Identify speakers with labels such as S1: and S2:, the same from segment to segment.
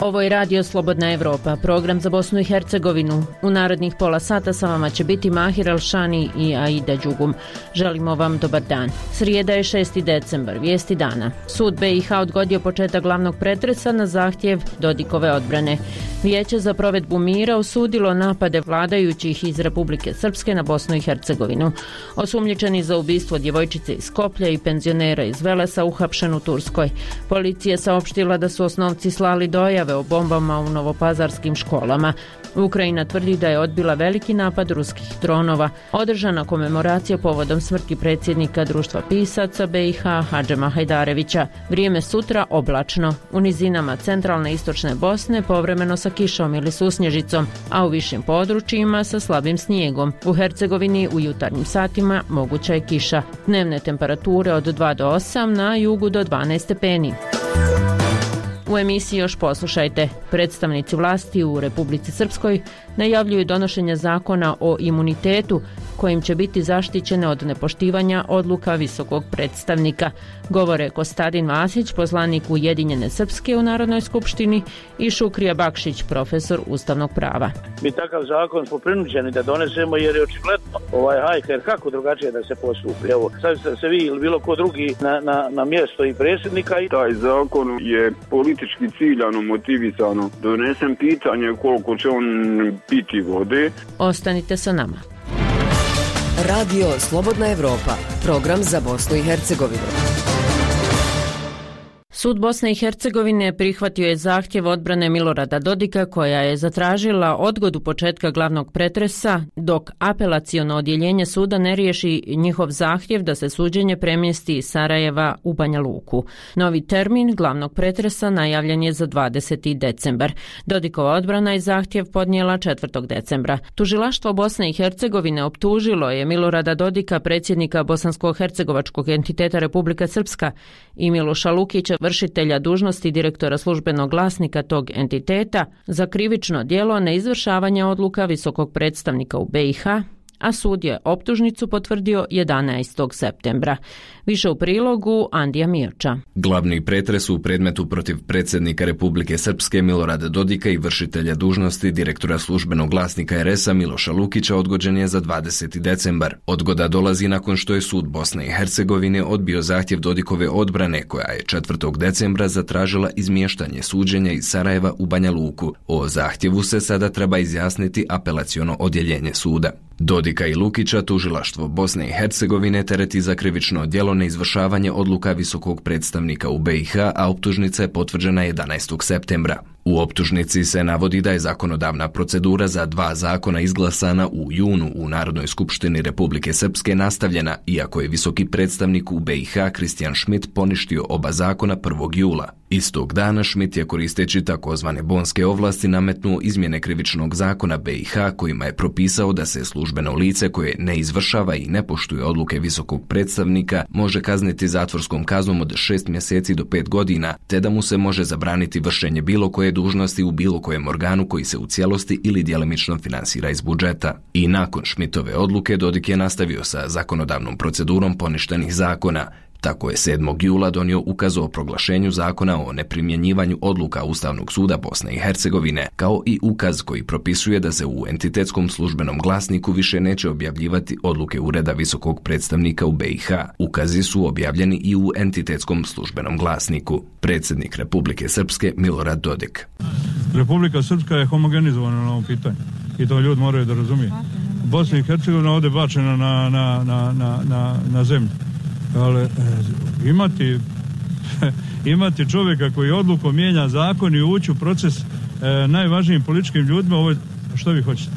S1: Ovo je Radio Slobodna Evropa, program za Bosnu i Hercegovinu. U narednih pola sata sa vama će biti Mahir Elšani i Aida Đugum. Želimo vam dobar dan. Srijeda je 6. decembar, vijesti dana. Sud BiH odgodio početak glavnog pretresa na zahtjev Dodikove odbrane. Vijeće za provedbu mira osudilo napade vladajućih iz Republike Srpske na Bosnu i Hercegovinu. Osumnjičeni za ubistvo djevojčice iz Skoplja i penzionera iz Velesa uhapšen u Turskoj. Policija saopštila da su osnovci slali dojave o bombama u novopazarskim školama. Ukrajina tvrdi da je odbila veliki napad ruskih dronova. Održana komemoracija povodom smrti predsjednika Društva pisaca BiH Hadžema Hajdarevića. Vrijeme sutra oblačno. U nizinama centralne i istočne Bosne povremeno sa kišom ili susnježicom, a u višim područjima sa slabim snijegom. U Hercegovini u jutarnjim satima moguća je kiša. Dnevne temperature od 2 do 8, na jugu do 12 stepeni. U emisiji još poslušajte. Predstavnici vlasti u Republici Srpskoj najavljuju donošenje zakona o imunitetu kojim će biti zaštićene od nepoštivanja odluka visokog predstavnika. Govore Kostadin Vasić, poslanik Ujedinjene Srpske u Narodnoj skupštini, i Šukrija Bakšić, profesor ustavnog prava.
S2: Mi takav zakon smo prinuđeni da donesemo jer je očigledno hajka, jer kako drugačije da se postupi. Evo, sad se vi ili bilo ko drugi na mjesto i predsjednika.
S3: Taj zakon je politički ciljano motivisano. Donesem pitanje koliko će on piti vode.
S1: Ostanite sa nama.
S4: Radio Slobodna Evropa, program za Bosnu i Hercegovinu.
S1: Sud Bosne i Hercegovine prihvatio je zahtjev odbrane Milorada Dodika koja je zatražila odgodu početka glavnog pretresa dok apelaciono odjeljenje suda ne riješi njihov zahtjev da se suđenje premjesti iz Sarajeva u Banja Luku. Novi termin glavnog pretresa najavljen je za 20. decembar. Dodikova odbrana je zahtjev podnijela 4. decembra. Tužilaštvo Bosne i Hercegovine optužilo je Milorada Dodika, predsjednika bosansko-hercegovačkog entiteta Republika Srpska, i Miloša Lukića, vršitelja dužnosti direktora službenog glasnika tog entiteta, za krivično djelo neizvršavanja odluka visokog predstavnika u BiH, a sud je optužnicu potvrdio 11. septembra. Više u prilogu Andija Mirča.
S5: Glavni pretres u predmetu protiv predsjednika Republike Srpske Milorada Dodika i vršitelja dužnosti direktora službenog glasnika RS-a Miloša Lukića odgođen je za 20. decembar. Odgoda dolazi nakon što je sud Bosne i Hercegovine odbio zahtjev Dodikove odbrane koja je 4. decembra zatražila izmještanje suđenja iz Sarajeva u Banja Luku. O zahtjevu se sada treba izjasniti apelaciono odjeljenje suda. Dodika i Lukića tužilaštvo Bosne i Hercegovine tereti za krivično djelo neizvršavanje odluka visokog predstavnika u BiH, a optužnica je potvrđena 11. septembra. U optužnici se navodi da je zakonodavna procedura za 2 zakona izglasana u junu u Narodnoj skupštini Republike Srpske nastavljena, iako je visoki predstavnik u BiH Kristijan Šmit poništio oba zakona 1. jula. Istog dana Šmit je, koristeći takozvane bonske ovlasti, nametnuo izmjene krivičnog zakona BiH kojima je propisao da se službeno lice koje ne izvršava i ne poštuje odluke visokog predstavnika može kazniti zatvorskom kaznom od 6 mjeseci do 5 godina, te da mu se može zabraniti vršenje bilo koje dužnosti u bilo kojem organu koji se u cijelosti ili djelimično finansira iz budžeta. I nakon Šmitove odluke Dodik je nastavio sa zakonodavnom procedurom poništenih zakona. Tako je 7. jula donio ukaz o proglašenju zakona o neprimjenjivanju odluka Ustavnog suda Bosne i Hercegovine, kao i ukaz koji propisuje da se u entitetskom službenom glasniku više neće objavljivati odluke Ureda visokog predstavnika u BiH. Ukazi su objavljeni i u entitetskom službenom glasniku. Predsjednik Republike Srpske Milorad Dodik.
S6: Republika Srpska je homogenizovana na ovom pitanju i to ljudi moraju da razumiju. Bosna i Hercegovina ovdje bačena na zemlju. Ali imati čovjeka koji odlukom mijenja zakon i ući u proces najvažnijim političkim ljudima, ovo, što vi hoćete?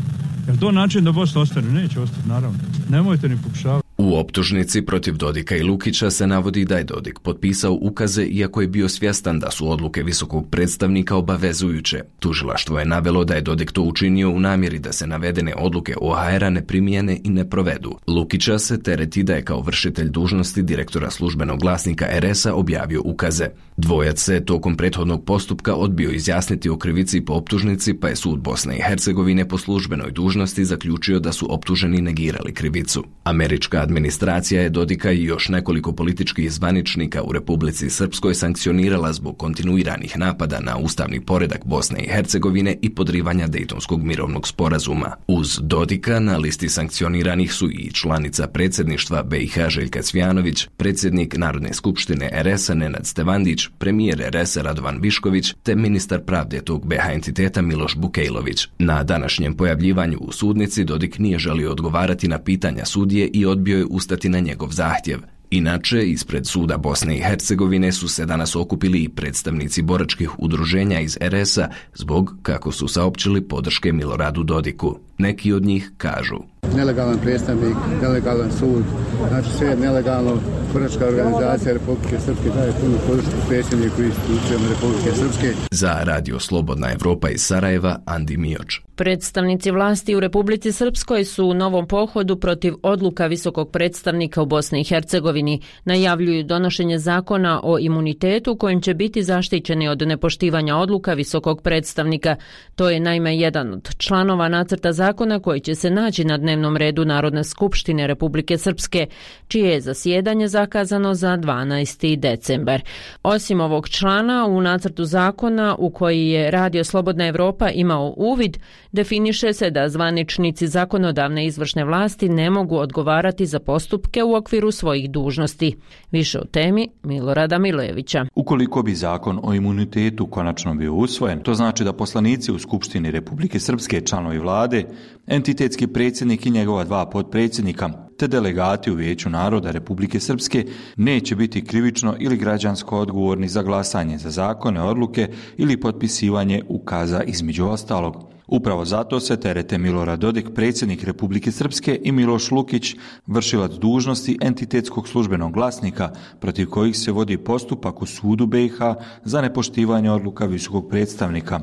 S6: Je li to način da Bosna ostane? Neće ostati, naravno. Nemojte ni pokušavati.
S5: U optužnici protiv Dodika i Lukića se navodi da je Dodik potpisao ukaze iako je bio svjestan da su odluke visokog predstavnika obavezujuće. Tužilaštvo je navelo da je Dodik to učinio u namjeri da se navedene odluke OHR-a ne primijene i ne provedu. Lukića se tereti da je kao vršitelj dužnosti direktora službenog glasnika RS-a objavio ukaze. Dvojac se tokom prethodnog postupka odbio izjasniti o krivici po optužnici, pa je sud Bosne i Hercegovine po službenoj dužnosti zaključio da su optuženi negirali krivicu. Američka administracija Administracija je Dodika i još nekoliko političkih zvaničnika u Republici Srpskoj sankcionirala zbog kontinuiranih napada na ustavni poredak Bosne i Hercegovine i podrivanja Dejtonskog mirovnog sporazuma. Uz Dodika na listi sankcioniranih su i članica predsjedništva BiH Željka Cvjanović, predsjednik Narodne skupštine RS-a Nenad Stevandić, premijer RS-a Radovan Višković te ministar pravde tog BiH entiteta Miloš Bukejlović. Na današnjem pojavljivanju u sudnici Dodik nije želio odgovarati na pitanja sudije i odbio je ustati na njegov zahtjev. Inače, ispred suda Bosne i Hercegovine su se danas okupili i predstavnici boračkih udruženja iz RS-a zbog, kako su saopćili, podrške Miloradu Dodiku. Neki od njih kažu:
S7: nelegalan predstavnik, nelegalan sud, znači sve je nelegalno. Boračka organizacija Republike Srpske daje punu podršku predsjedniku i institucijama Republike Srpske.
S5: Za Radio Slobodna Evropa iz Sarajeva, Andi Mioč.
S1: Predstavnici vlasti u Republici Srpskoj su u novom pohodu protiv odluka visokog predstavnika u Bosni i Hercegovini. Najavljuju donošenje zakona o imunitetu kojim će biti zaštićeni od nepoštivanja odluka visokog predstavnika. To je naime jedan od članova nacrta zakona koji će se naći na dnevnom redu Narodne skupštine Republike Srpske, čije je zasjedanje zakazano za 12. decembar. Osim ovog člana, u nacrtu zakona u koji je Radio Slobodna Evropa imao uvid, definiše se da zvaničnici zakonodavne izvršne vlasti ne mogu odgovarati za postupke u okviru svojih dužnosti. Više o temi Milorada Milojevića.
S8: Ukoliko bi zakon o imunitetu konačno bio usvojen, to znači da poslanici u Skupštini Republike Srpske, članovi vlade, entitetski predsjednik i njegova 2 potpredsjednika, te delegati u Vijeću naroda Republike Srpske neće biti krivično ili građansko odgovorni za glasanje za zakone, odluke ili potpisivanje ukaza između ostalog. Upravo zato se terete Milorad Dodik, predsjednik Republike Srpske, i Miloš Lukić, vršilac dužnosti entitetskog službenog glasnika, protiv kojih se vodi postupak u sudu BiH za nepoštivanje odluka visokog predstavnika.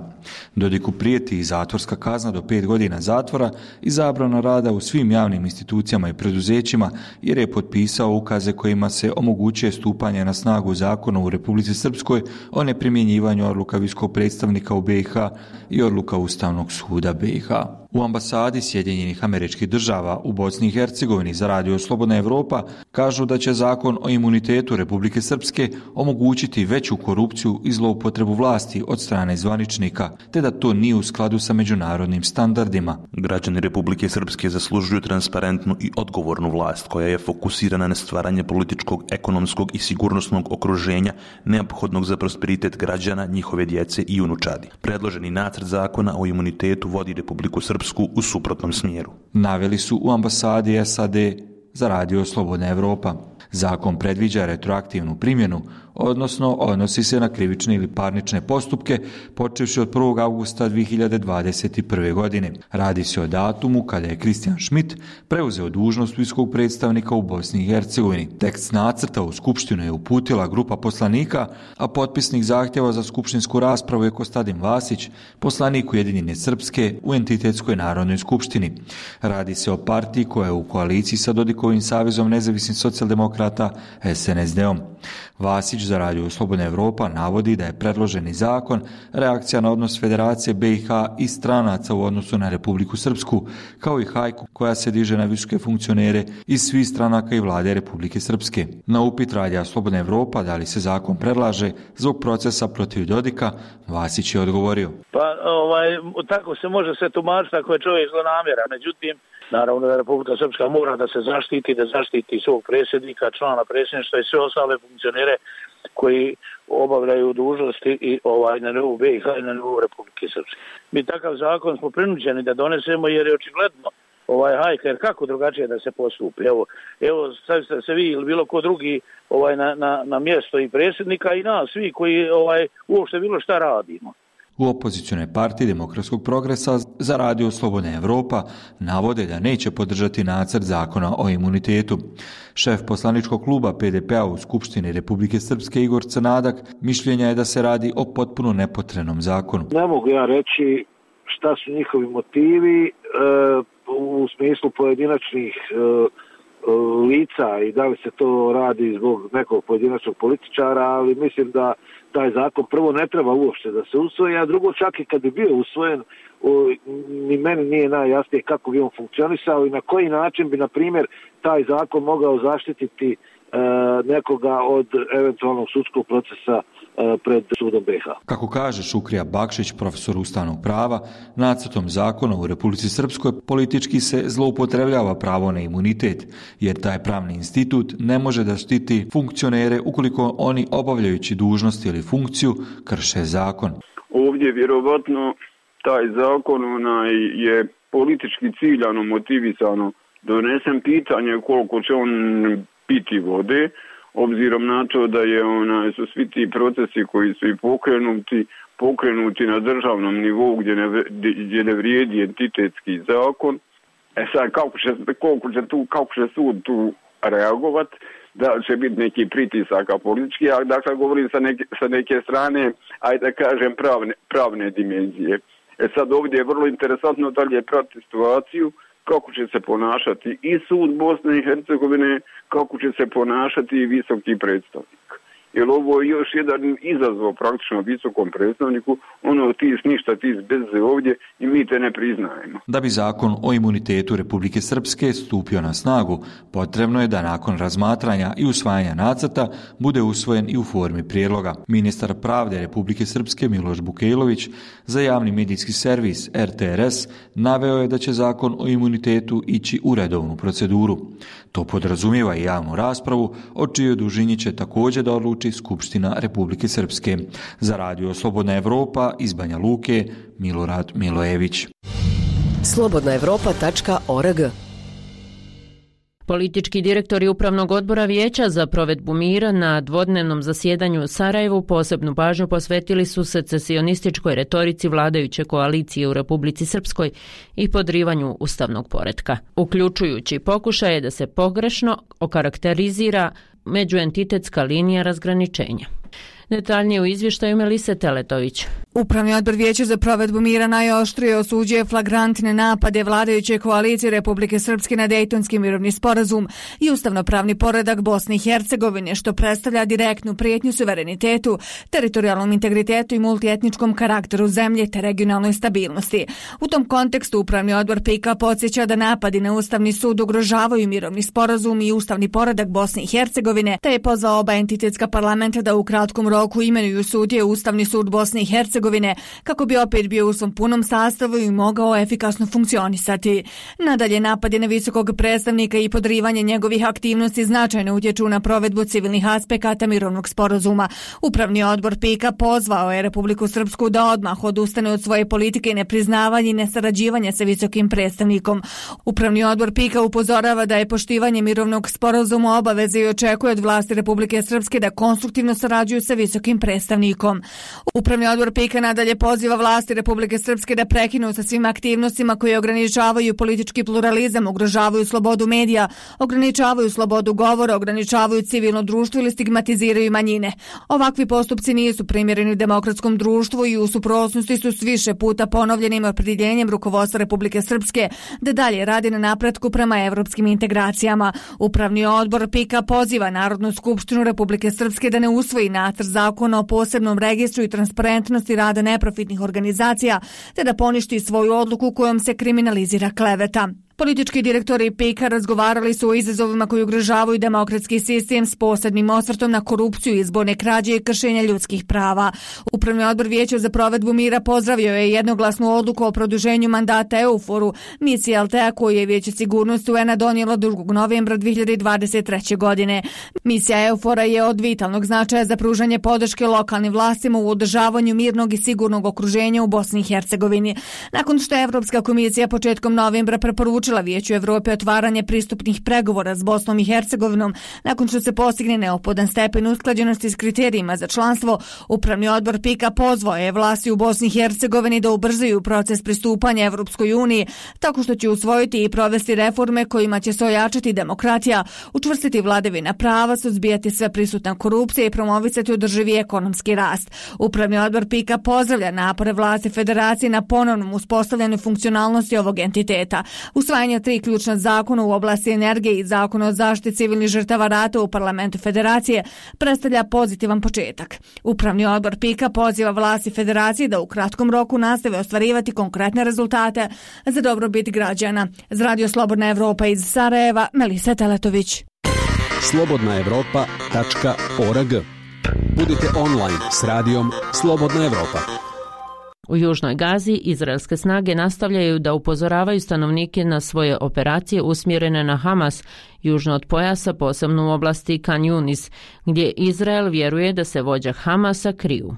S8: Dodiku prijeti i zatvorska kazna do 5 godina zatvora i zabrana rada u svim javnim institucijama i preduzećima, jer je potpisao ukaze kojima se omogućuje stupanje na snagu zakona u Republici Srpskoj o neprimjenjivanju odluka visokog predstavnika u BiH i odluka Ustavnog suda BiH. U ambasadi Sjedinjenih Američkih Država u Bosni i Hercegovini za Radio Slobodna Evropa kažu da će zakon o imunitetu Republike Srpske omogućiti veću korupciju i zloupotrebu vlasti od strane zvaničnika, te da to nije u skladu sa međunarodnim standardima.
S9: Građani Republike Srpske zaslužuju transparentnu i odgovornu vlast koja je fokusirana na stvaranje političkog, ekonomskog i sigurnosnog okruženja neophodnog za prosperitet građana, njihove djece i unučadi. Predloženi nacrt zakona o imunitetu vodi Republiku Srpsku u suprotnom smjeru.
S8: Naveli su u ambasadi SAD za Radio Slobodna Evropa. Zakon predviđa retroaktivnu primjenu, odnosno odnosi se na krivične ili parnične postupke počevši od 1. augusta 2021. godine. Radi se o datumu kada je Kristijan Schmidt preuzeo dužnost visokog predstavnika u Bosni i Hercegovini. Tekst nacrta u Skupštinu je uputila grupa poslanika, a potpisnik zahtjeva za skupštinsku raspravu je Kostadin Vasić, poslanik Ujedinjene Srpske u entitetskoj Narodnoj skupštini. Radi se o partiji koja je u koaliciji sa Dodikovim savezom nezavisnih socijaldemokrata SNSD-om. Vasić za Radio Slobodna Evropa navodi da je predloženi zakon reakcija na odnos Federacije BiH i stranaca u odnosu na Republiku Srpsku, kao i hajku koja se diže na visoke funkcionere iz svih stranaka i vlade Republike Srpske. Na upit Radio Slobodna Evropa da li se zakon predlaže zbog procesa protiv Dodika, Vasić je odgovorio:
S2: tako se može sve tumačiti ako je čovjek zlonamjeran. Međutim, naravno da Republika Srpska mora da se zaštiti svog predsjednika, člana predsjedništva i sve ostale funkcionere koji obavljaju dužnosti i na nivou BiH i na nivou Republike Srpske. Mi takav zakon smo prinuđeni da donesemo jer je očigledno hajka, jer kako drugačije da se postupi. Evo stavite se vi ili bilo ko drugi na mjesto i predsjednika i nas svi koji uopšte bilo šta radimo.
S8: U opozicionoj partiji Demokratskog progresa za Radio Slobodna Evropa navode da neće podržati nacrt zakona o imunitetu. Šef poslaničkog kluba PDP-a u Skupštini Republike Srpske Igor Crnadak mišljenja je da se radi o potpuno nepotrebnom zakonu.
S10: Ne mogu ja reći šta su njihovi motivi u smislu pojedinačnih
S2: lica i da li se to radi zbog nekog pojedinačnog političara, ali mislim da taj zakon prvo ne treba uopšte da se usvoji, a drugo čak i kad bi bio usvojen, ni meni nije najjasnije kako bi on funkcionisao i na koji način bi, na primjer, taj zakon mogao zaštititi nekoga od eventualnog sudskog procesa pred sudom BiH.
S8: Kako kaže Šukrija Bakšić, profesor ustavnog prava, nacrtom zakona u Republici Srpskoj politički se zloupotrebljava pravo na imunitet, jer taj pravni institut ne može da štiti funkcionere ukoliko oni obavljajući dužnost ili funkciju krše zakon.
S3: Ovdje vjerovatno taj zakon je politički ciljano motivisano donesen, pitanje koliko će on piti vode, obzirom na to da su svi ti procesi koji su i pokrenuti na državnom nivou gdje ne vrijedi entitetski zakon. Sad kako će sud tu reagovat, da će biti neki pritisaka politički, a dakle govorim sa neke strane, ajde da kažem pravne dimenzije. Sad ovdje je vrlo interesantno dalje pratiti situaciju, kako će se ponašati i sud Bosne i Hercegovine, kako će se ponašati i visoki predstavnik. Jer ovo je još jedan izazov praktično visokom predstavniku, ti ništa, ti bez ovdje i mi te ne priznajemo.
S8: Da bi zakon o imunitetu Republike Srpske stupio na snagu, potrebno je da nakon razmatranja i usvajanja nacrta bude usvojen i u formi prijedloga. Ministar pravde Republike Srpske Miloš Bukejlović za javni medijski servis RTRS naveo je da će zakon o imunitetu ići u redovnu proceduru. To podrazumijeva i javnu raspravu, o čijoj dužini će također da odluči Skupština Republike Srpske. Za Radio Slobodna Evropa iz Banja Luke, Milorad Milojević.
S4: slobodnaevropa.org.
S1: Politički direktori Upravnog odbora Vijeća za provedbu mira na dvodnevnom zasjedanju u Sarajevu posebnu pažnju posvetili su secesionističkoj retorici vladajuće koalicije u Republici Srpskoj i podrivanju ustavnog poretka, uključujući pokušaje da se pogrešno okarakterizira međuentitetska linija razgraničenja. Detaljnije u izvještaju Melise Teletović.
S10: Upravni odbor Vijeća za provedbu mira najoštrije osuđuje flagrantne napade vladajuće koalicije Republike Srpske na Dejtonski mirovni sporazum i ustavnopravni poredak Bosne i Hercegovine, što predstavlja direktnu prijetnju suverenitetu, teritorijalnom integritetu i multietničkom karakteru zemlje te regionalnoj stabilnosti. U tom kontekstu Upravni odbor PIK-a podsjeća da napadi na Ustavni sud ugrožavaju mirovni sporazum i ustavni poredak Bosne i Hercegovine, te je pozvao oba entitetska parlamenta da u kratkom roku imenuju sudije Ustavni sud Bosne i Hercegovine kako bi opet bio u svom punom sastavu i mogao efikasno funkcionisati. Nadalje, napadi na visokog predstavnika i podrivanje njegovih aktivnosti značajno utječu na provedbu civilnih aspekata mirovnog sporazuma. Upravni odbor PIK-a pozvao je Republiku Srpsku da odmah odustane od svoje politike nepriznavanja i nesarađivanja sa visokim predstavnikom. Upravni odbor PIK-a upozorava da je poštivanje mirovnog sporazuma obaveze i očekuje od vlasti Republike Srpske da konstruktivno sarađuju sa visokim predstavnikom. Upravni odbor PIK-a nadalje poziva vlasti Republike Srpske da prekinu sa svim aktivnostima koje ograničavaju politički pluralizam, ugrožavaju slobodu medija, ograničavaju slobodu govora, ograničavaju civilno društvo ili stigmatiziraju manjine. Ovakvi postupci nisu primjereni u demokratskom društvu i u suprotnosti su s više puta ponovljenim opredjeljenjem rukovodstva Republike Srpske da dalje radi na napretku prema evropskim integracijama. Upravni odbor PIK-a poziva Narodnu skupštinu Republike Srpske da ne usvoji nacrt zakona o posebnom registru i transparentnosti rada neprofitnih organizacija, te da poništi svoju odluku kojom se kriminalizira kleveta. Politički direktori PIK-a razgovarali su o izazovima koji ugrožavaju demokratski sistem s posebnim osvrtom na korupciju, izborne krađe i kršenja ljudskih prava. Upravni odbor Vijeća za provedbu mira pozdravio je jednoglasnu odluku o produženju mandata EUFOR-u, misije Altea koju je Vijeće sigurnosti UN-a donijelo 2. novembra 2023. godine. Misija EUFOR-a je od vitalnog značaja za pružanje podrške lokalnim vlastima u održavanju mirnog i sigurnog okruženja u Bosni i Hercegovini. Nakon što je Evropska komisija početkom novembra preporučila Vijeću Evrope otvaranje pristupnih pregovora s Bosnom i Hercegovinom, nakon što se postigne neophodan stepen usklađenosti s kriterijima za članstvo, Upravni odbor PIK-a pozvao je vlasti u Bosni i Hercegovini da ubrzaju proces pristupanja Evropskoj uniji, tako što će usvojiti i provesti reforme kojima će se ojačati demokratija, učvrstiti vladavina prava, suzbijati sve prisutna korupcija i promovisati održivi ekonomski rast. Upravni odbor PIK-a pozdravlja napore vlasti federacije na ponovnom uspostavljanju funkcionalnosti ovog entiteta. U Usvajanje 3 ključna zakona u oblasti energije i zakon o zaštiti civilnih žrtava rata u parlamentu Federacije predstavlja pozitivan početak. Upravni odbor PIK-a poziva vlasti Federacije da u kratkom roku nastave ostvarivati konkretne rezultate za dobrobit građana. Za Radio Slobodna Evropa iz Sarajeva, Melisa Teletović.
S11: slobodnaevropa.org. Budite online s radijom Slobodna Evropa.
S1: U Južnoj Gazi izraelske snage nastavljaju da upozoravaju stanovnike na svoje operacije usmjerene na Hamas, južno od pojasa, posebno u oblasti Khan Yunis, gdje Izrael vjeruje da se vođa Hamasa kriju.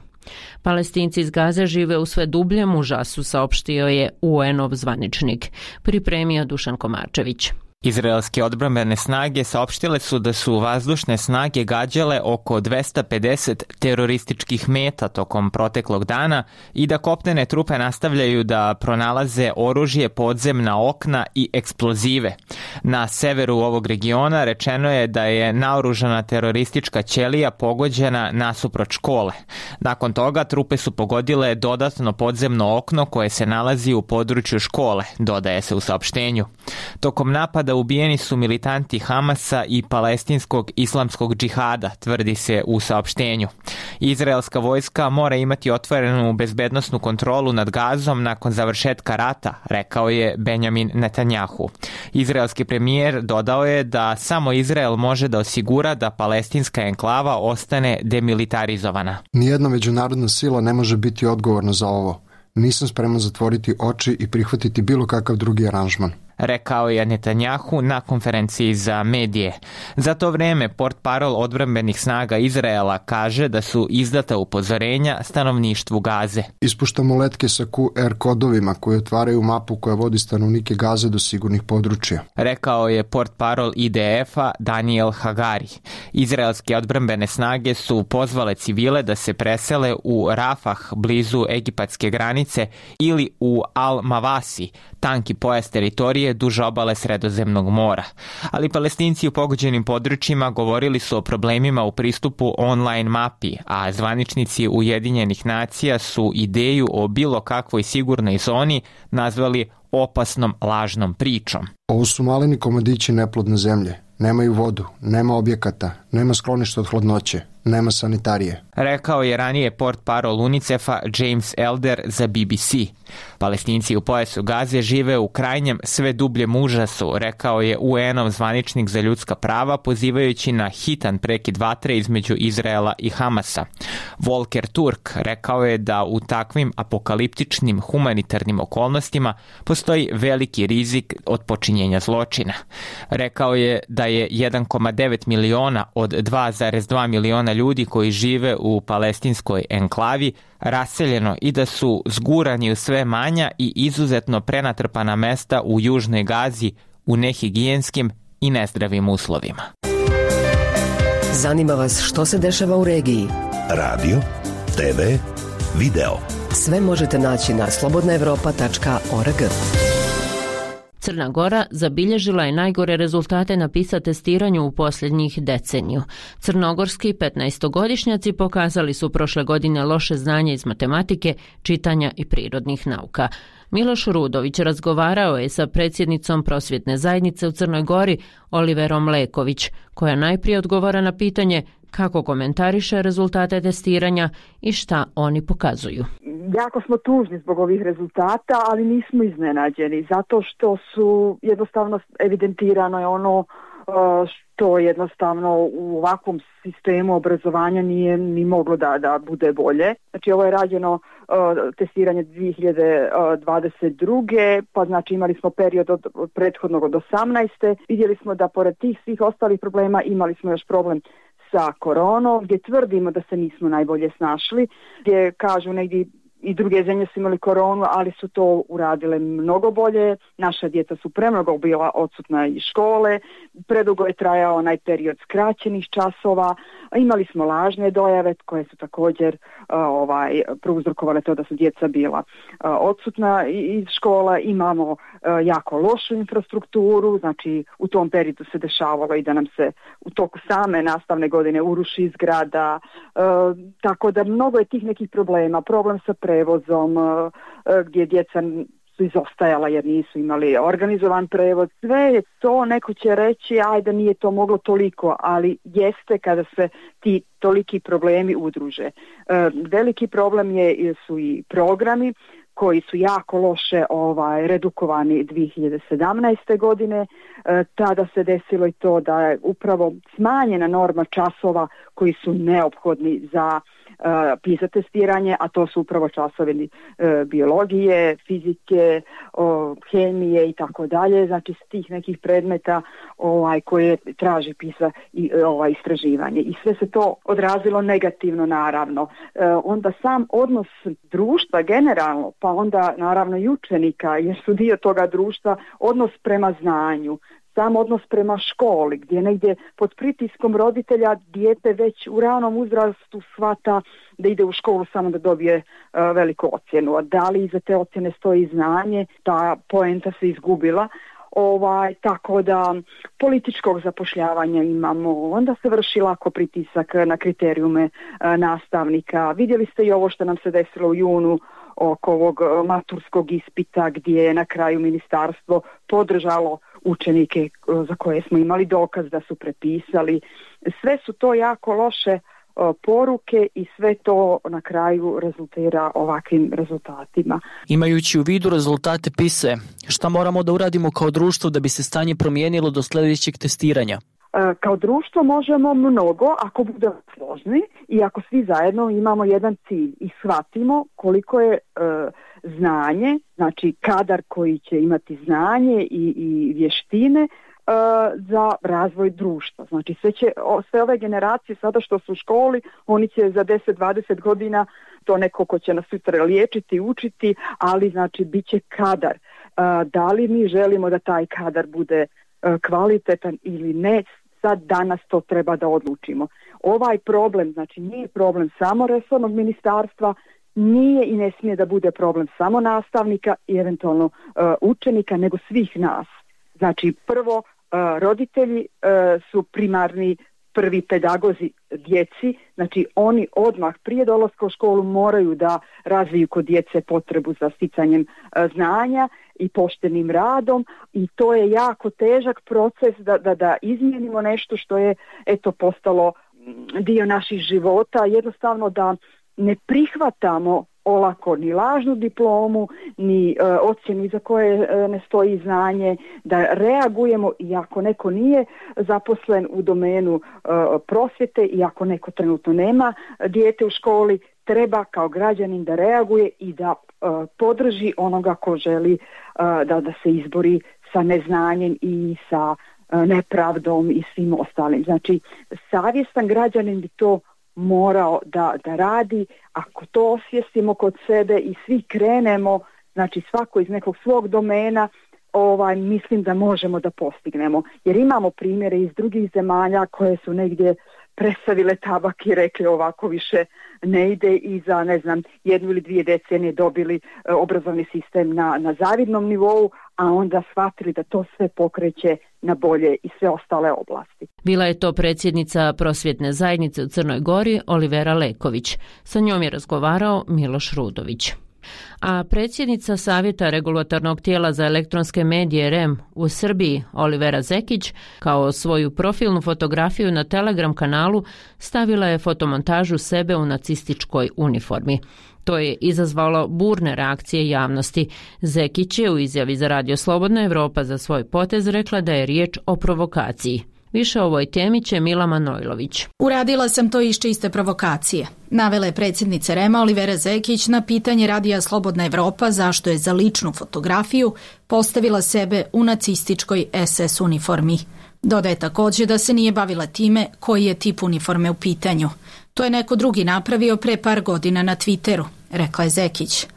S1: Palestinci iz Gaze žive u sve dubljem užasu, saopštio je UN-ov zvaničnik. Pripremio Dušan Komarčević.
S12: Izraelske odbrambene snage saopštile su da su vazdušne snage gađale oko 250 terorističkih meta tokom proteklog dana i da kopnene trupe nastavljaju da pronalaze oružje, podzemna okna i eksplozive. Na severu ovog regiona rečeno je da je naoružana teroristička ćelija pogođena nasuprot škole. Nakon toga trupe su pogodile dodatno podzemno okno koje se nalazi u području škole, dodaje se u saopštenju. Tokom napada ubijeni su militanti Hamasa i palestinskog islamskog džihada, tvrdi se u saopštenju. Izraelska vojska mora imati otvorenu bezbednosnu kontrolu nad Gazom nakon završetka rata, rekao je Benjamin Netanjahu. Izraelski premijer dodao je da samo Izrael može da osigura da palestinska enklava ostane demilitarizovana.
S13: Nijedna međunarodna sila ne može biti odgovorna za ovo. Nisam spreman zatvoriti oči i prihvatiti bilo kakav drugi aranžman,
S12: rekao je Netanjahu na konferenciji za medije. Za to vreme portparol odbrambenih snaga Izraela kaže da su izdata upozorenja stanovništvu Gaze.
S13: Ispuštamo letke sa QR kodovima koji otvaraju mapu koja vodi stanovnike Gaze do sigurnih područja,
S12: rekao je portparol IDF-a Daniel Hagari. Izraelske odbrambene snage su pozvale civile da se presele u Rafah blizu egipatske granice ili u Al-Mavasi, tanki pojas teritorije duž obale Sredozemnog mora. Ali Palestinci u pogođenim područjima govorili su o problemima u pristupu online mapi, a zvaničnici Ujedinjenih nacija su ideju o bilo kakvoj sigurnoj zoni nazvali opasnom lažnom pričom.
S13: Ovo su maleni komadići neplodne zemlje. Nemaju vodu, nema objekata, nema skloništa od hladnoće, nema sanitarije,
S12: rekao je ranije portparol UNICEF-a James Elder za BBC. Palestinci u pojasu Gaze žive u krajnjem sve dubljem užasu, rekao je UN-ov zvaničnik za ljudska prava, pozivajući na hitan prekid vatre između Izraela i Hamasa. Volker Turk rekao je da u takvim apokaliptičnim humanitarnim okolnostima postoji veliki rizik od počinjenja zločina. Rekao je da je 1,9 miliona od 2,2 miliona ljudi koji žive u palestinskoj enklavi raseljeno i da su zgurani u sve manja i izuzetno prenatrpana mesta u Južnoj Gazi u nehigijenskim i nezdravim uslovima.
S4: Zanima vas što se dešava u regiji?
S14: Radio, TV, video.
S4: Sve možete naći na slobodnaevropa.org.
S1: Crna Gora zabilježila je najgore rezultate na PISA testiranju u posljednjih deceniju. Crnogorski 15-godišnjaci pokazali su prošle godine loše znanje iz matematike, čitanja i prirodnih nauka. Miloš Rudović razgovarao je sa predsjednicom prosvjetne zajednice u Crnoj Gori, Oliverom Leković, koja najprije odgovara na pitanje kako komentariše rezultate testiranja i šta oni pokazuju.
S15: Jako smo tužni zbog ovih rezultata, ali nismo iznenađeni, zato što su jednostavno evidentirano je ono što jednostavno u ovakvom sistemu obrazovanja nije ni moglo da bude bolje. Znači ovo je rađeno testiranje 2022. pa znači imali smo period od prethodnog od 18. Vidjeli smo da pored tih svih ostalih problema imali smo još problem sa koronom, gdje tvrdimo da se nismo najbolje snašli, gdje kažu negdje i druge zemlje su imali koronu, ali su to uradile mnogo bolje. Naša djeca su premnogo bila odsutna iz škole, predugo je trajao onaj period skraćenih časova, imali smo lažne dojave koje su također prouzrokovale to da su djeca bila odsutna iz škola, imamo jako lošu infrastrukturu, znači u tom periodu se dešavalo i da nam se u toku same nastavne godine uruši zgrada, tako da mnogo je tih nekih problema, problem sa prevozom, gdje djeca su izostajala jer nisu imali organizovan prevod. Sve je to, neko će reći ajde nije to moglo toliko, ali jeste kada se ti toliki problemi udruže. Veliki problem su i programi koji su jako loše redukovani 2017. godine. Tada se desilo i to da je upravo smanjena norma časova koji su neophodni za PISA testiranje, a to su upravo časovi biologije, fizike, hemije i tako dalje, znači s tih nekih predmeta koje traži PISA i istraživanje. I sve se to odrazilo negativno naravno. Onda sam odnos društva generalno, pa onda naravno i učenika, jer su dio toga društva, odnos prema znanju, sam odnos prema školi, gdje negdje pod pritiskom roditelja dijete već u ranom uzrastu shvata da ide u školu samo da dobije veliku ocjenu. A da li iza te ocjene stoji znanje, ta poenta se izgubila. Tako da političkog zapošljavanja imamo, onda se vrši lako pritisak na kriterijume nastavnika. Vidjeli ste i ovo što nam se desilo u junu oko ovog maturskog ispita gdje je na kraju ministarstvo podržalo učenike za koje smo imali dokaz da su prepisali. Sve su to jako loše poruke i sve to na kraju rezultira ovakvim rezultatima.
S16: Imajući u vidu rezultate PISA, šta moramo da uradimo kao društvo da bi se stanje promijenilo do sljedećeg testiranja?
S15: Kao društvo možemo mnogo ako budemo složni i ako svi zajedno imamo jedan cilj i shvatimo koliko je znanje, znači kadar koji će imati znanje i vještine za razvoj društva. Znači sve ove generacije sada što su u školi, oni će za 10-20 godina to neko ko će nas sutra liječiti, učiti, ali znači bit će kadar. Da li mi želimo da taj kadar bude kvalitetan ili ne, sad danas to treba da odlučimo. Ovaj problem, znači nije problem samo resornog ministarstva, nije i ne smije da bude problem samo nastavnika i eventualno učenika, nego svih nas. Znači prvo roditelji su primarni prvi pedagozi djeci, znači oni odmah prije dolaska u školu moraju da razviju kod djece potrebu za sticanjem znanja i poštenim radom i to je jako težak proces da izmijenimo nešto što je postalo dio naših života, jednostavno da ne prihvatamo olako ni lažnu diplomu, ni ocjenu iza koje ne stoji znanje, da reagujemo i ako neko nije zaposlen u domenu prosvjete i ako neko trenutno nema dijete u školi, treba kao građanin da reaguje i da podrži onoga ko želi da se izbori sa neznanjem i sa nepravdom i svim ostalim. Znači, savjestan građanin bi to morao da radi. Ako to osvijestimo kod sebe i svi krenemo, znači svako iz nekog svog domena, mislim da možemo da postignemo. Jer imamo primjere iz drugih zemalja koje su negdje prestavile tabak i rekli ovako više ne ide i za 1 ili 2 decenije dobili obrazovni sistem na zavidnom nivou, a onda shvatili da to sve pokreće na bolje i sve ostale oblasti.
S1: Bila je to predsjednica prosvjetne zajednice u Crnoj Gori Olivera Leković. Sa njom je razgovarao Miloš Rudović. A predsjednica Savjeta regulatornog tijela za elektronske medije REM u Srbiji Olivera Zekić kao svoju profilnu fotografiju na Telegram kanalu stavila je fotomontažu sebe u nacističkoj uniformi. To je izazvalo burne reakcije javnosti. Zekić je u izjavi za Radio Slobodna Evropa za svoj potez rekla da je riječ o provokaciji. Više o ovoj temi će Mila Manojlović.
S17: Uradila sam to iz čiste provokacije. Navela je predsjednica REM-a Olivera Zekić na pitanje Radija Slobodna Evropa zašto je za ličnu fotografiju postavila sebe u nacističkoj SS uniformi. Dodaje također da se nije bavila time koji je tip uniforme u pitanju. To je neko drugi napravio pre par godina na Twitteru, rekla je Zekić.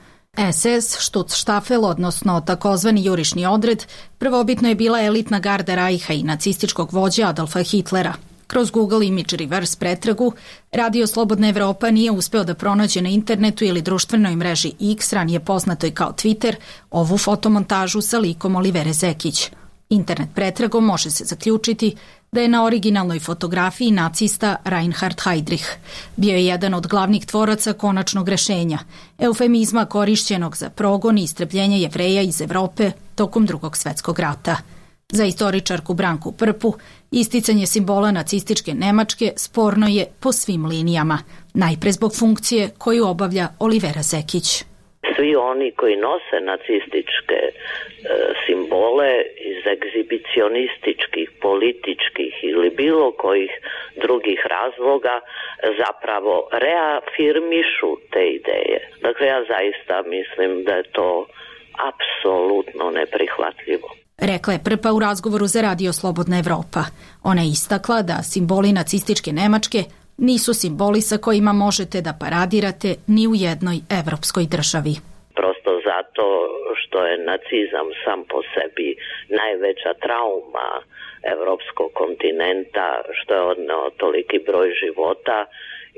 S17: SS, Schutzstaffel, odnosno takozvani jurišni odred, prvobitno je bila elitna garda Rajha i nacističkog vođa Adolfa Hitlera. Kroz Google Image Reverse pretragu, Radio Slobodna Evropa nije uspeo da pronađe na internetu ili društvenoj mreži X, ranije poznatoj kao Twitter, ovu fotomontažu sa likom Olivere Zekić. Internet pretragom može se zaključiti da je na originalnoj fotografiji nacista Reinhard Heydrich. Bio je jedan od glavnih tvoraca konačnog rešenja, eufemizma korišćenog za progon i istrebljenje Jevreja iz Evrope tokom Drugog svjetskog rata. Za istoričarku Branku Prpu, isticanje simbola nacističke Nemačke sporno je po svim linijama, najpre zbog funkcije koju obavlja Olivera Zekić.
S18: Svi oni koji nose nacističke simbole iz egzibicionističkih, političkih ili bilo kojih drugih razloga zapravo reafirmišu te ideje. Dakle, ja zaista mislim da je to apsolutno neprihvatljivo.
S17: Rekla je Prpa u razgovoru za Radio Slobodna Evropa. Ona je istakla da simboli nacističke Nemačke nisu simboli sa kojima možete da paradirate ni u jednoj evropskoj državi.
S18: Prosto zato što je nacizam sam po sebi najveća trauma evropskog kontinenta, što je odneo toliki broj života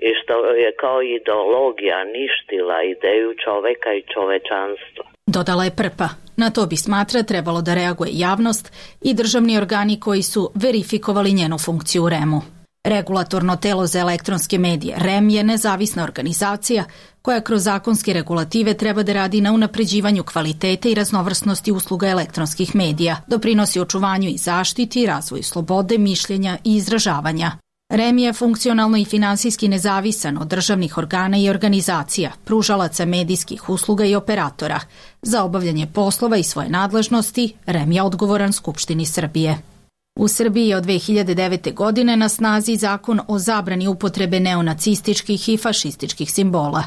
S18: i što je kao ideologija ništila ideju čoveka i čovečanstva.
S17: Dodala je Prpa. Na to bi, smatra, trebalo da reaguje javnost i državni organi koji su verifikovali njenu funkciju u REM-u. Regulatorno telo za elektronske medije REM je nezavisna organizacija koja kroz zakonske regulative treba da radi na unapređivanju kvalitete i raznovrsnosti usluga elektronskih medija, doprinosi očuvanju i zaštiti, razvoju slobode, mišljenja i izražavanja. REM je funkcionalno i finansijski nezavisan od državnih organa i organizacija, pružalaca medijskih usluga i operatora. Za obavljanje poslova i svoje nadležnosti REM je odgovoran Skupštini Srbije. U Srbiji je od 2009. godine na snazi zakon o zabrani upotrebe neonacističkih i fašističkih simbola.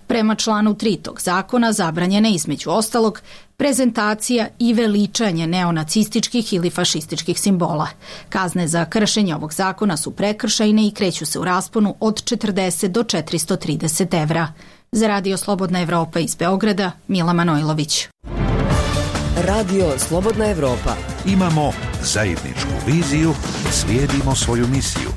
S17: Prema članu 3 tog zakona zabranjena je između ostalog prezentacija i veličanje neonacističkih ili fašističkih simbola. Kazne za kršenje ovog zakona su prekršajne i kreću se u rasponu od 40 do 430 evra. Za Radio Slobodna Evropa iz Beograda, Mila Manojlović.
S4: Radio Slobodna Evropa.
S14: Imamo zajedničku viziju i slijedimo svoju misiju.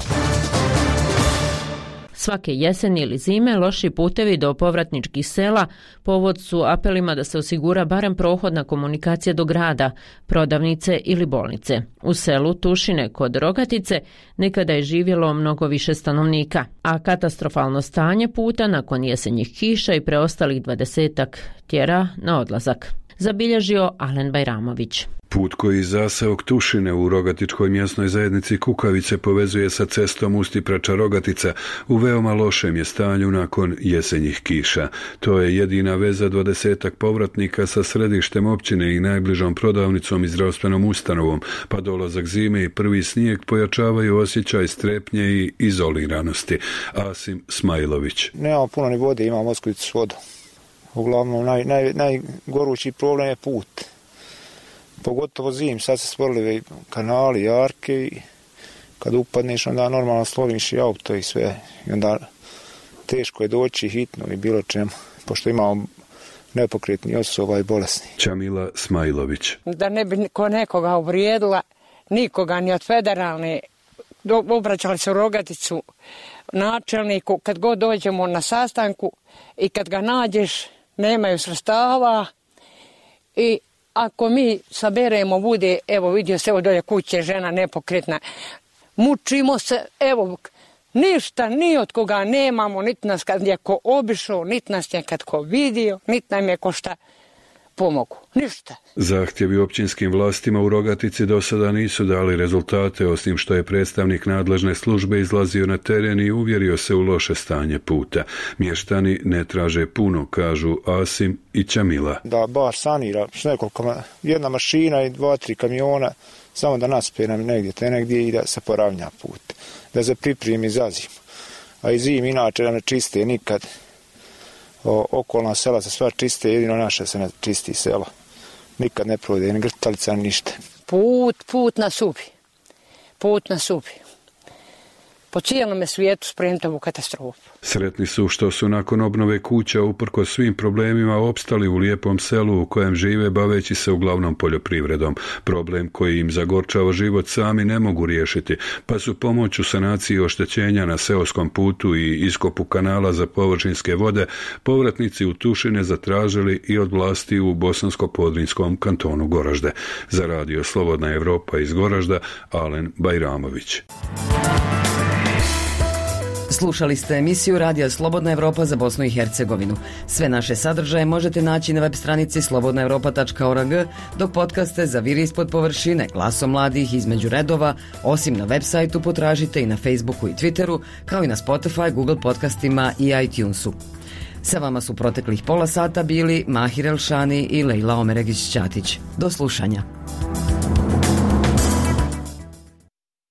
S1: Svake jeseni ili zime loši putevi do povratničkih sela povod su apelima da se osigura barem prohodna komunikacija do grada, prodavnice ili bolnice. U selu Tušine kod Rogatice nekada je živjelo mnogo više stanovnika, a katastrofalno stanje puta nakon jesenjih kiša i preostalih 20-ak tjera na odlazak. Zabilježio Alen Bajramović.
S19: Put koji iz zaseok Tušine u Rogatičkoj mjesnoj zajednici Kukavice povezuje sa cestom Ustiprača-Rogatica u veoma lošem je stanju nakon jesenjih kiša. To je jedina veza 20-ak povratnika sa središtem općine i najbližom prodavnicom i zdravstvenom ustanovom, pa dolazak zime i prvi snijeg pojačavaju osjećaj strepnje i izoliranosti. Asim Smajlović.
S20: Nemamo puno ni vode, imamo osklicu s vodom. Uglavnom, najgorući problem je put. Pogotovo zim, sad se stvorili kanali, jarke i kad upadneš onda normalno sloviš i auto i sve. I onda teško je doći hitno i bilo čemu, pošto imamo nepokretni osoba i bolesni.
S19: Čamila Smajlović.
S21: Da ne bi nekoga uvrijedila, nikoga ni od federalne, obraćali se u Rogaticu načelniku, kad god dođemo na sastanku i kad ga nađeš, nemaju sredstava i ako mi saberemo bude, evo vidio se, evo dolje kuće, žena nepokretna, mučimo se, evo, ništa, ni od koga nemamo, niti nas kad je ko obišao, niti nas je kad ko vidio, niti nam je ko šta pomogu, ništa.
S19: Zahtjevi općinskim vlastima u Rogatici do sada nisu dali rezultate, osim što je predstavnik nadležne službe izlazio na teren i uvjerio se u loše stanje puta. Mještani ne traže puno, kažu Asim i Čamila.
S20: Da bar sanira s nekoliko, jedna mašina i 2-3 kamiona, samo da naspe nam negdje i da se poravnja put, da se pripremi za zimu. A i zim inače da ne čiste nikad. Okolna sela se sva čiste, jedino naše se ne čisti selo. Nikad ne provode, ni grtalica, ni ništa.
S21: Put nas ubi. po cijelome svijetu spremiti ovu katastrofu.
S19: Sretni su što su nakon obnove kuća uprkos svim problemima opstali u lijepom selu u kojem žive baveći se uglavnom poljoprivredom. Problem koji im zagorčava život sami ne mogu riješiti, pa su pomoć u sanaciji oštećenja na seoskom putu i iskopu kanala za površinske vode povratnici u Tušine zatražili i od vlasti u Bosansko-Podrinjskom kantonu Goražde. Za radio Slobodna Evropa iz Goražda, Alen Bajramović.
S4: Slušali ste emisiju Radija Slobodna Evropa za Bosnu i Hercegovinu. Sve naše sadržaje možete naći na web stranici slobodnaevropa.org, dok podcaste za Vir ispod površine, Glasom mladih, Između redova, osim na web sajtu potražite i na Facebooku i Twitteru, kao i na Spotify, Google podcastima i iTunesu. Sa vama su proteklih pola sata bili Mahir Elšani i Lejla Omeregić-Ćatić. Do slušanja.